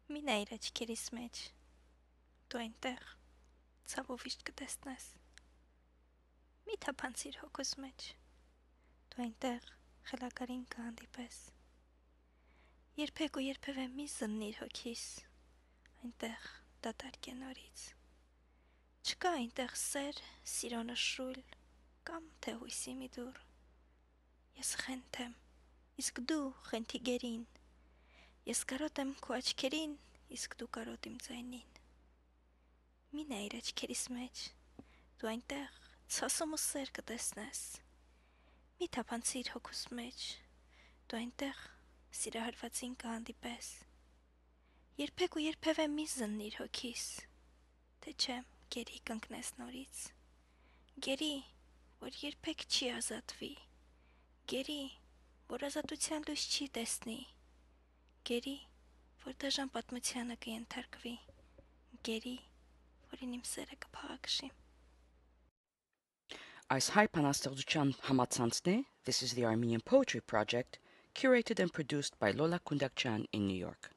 Մի նայր աչքերիս մեջ, դու այնտեղ ցավով իշտ կտեսնես։ Մի թափանցիր հոգուս մեջ, դու այնտեղ խելագարին կհանդիպես։ Երբեք ու երբևէ մի զննիր հոգիս, այնտեղ դատարկ է նորից։ Չկա այնտեղ սեր, սիրո նշույլ կամ թե հույսի մի դուռ։ Ես խենթ եմ, իսկ դու խենթի գերին։ Ես կարոտ եմ քո աչքերին, իսկ դու կարոտ իմ ձայնին։ Մի նայիր աչքերիս մեջ, դու այնտեղ ցասում ու սեր կտեսնես։ Մի թափանցիր հոգուս մեջ, դու այնտեղ սիրահարվածին կհանդիպես։ Երբեք ու երբևէ մի զննիր հոգիս, թե չէ գերի կընկնես նորից։ Գերի, որ երբեք չի ազատվի։ Գերի, որ ազատության լույս չի տեսնի։ Գերի, որ դաժան պատմությանը կենթարկվի։ Գերի, որին իմ սերը կփաղաքշի։ Այս հայ բանաստեղծության համացանցն է This is the Armenian Poetry Project, curated and produced by Lola Kundakyan in New York.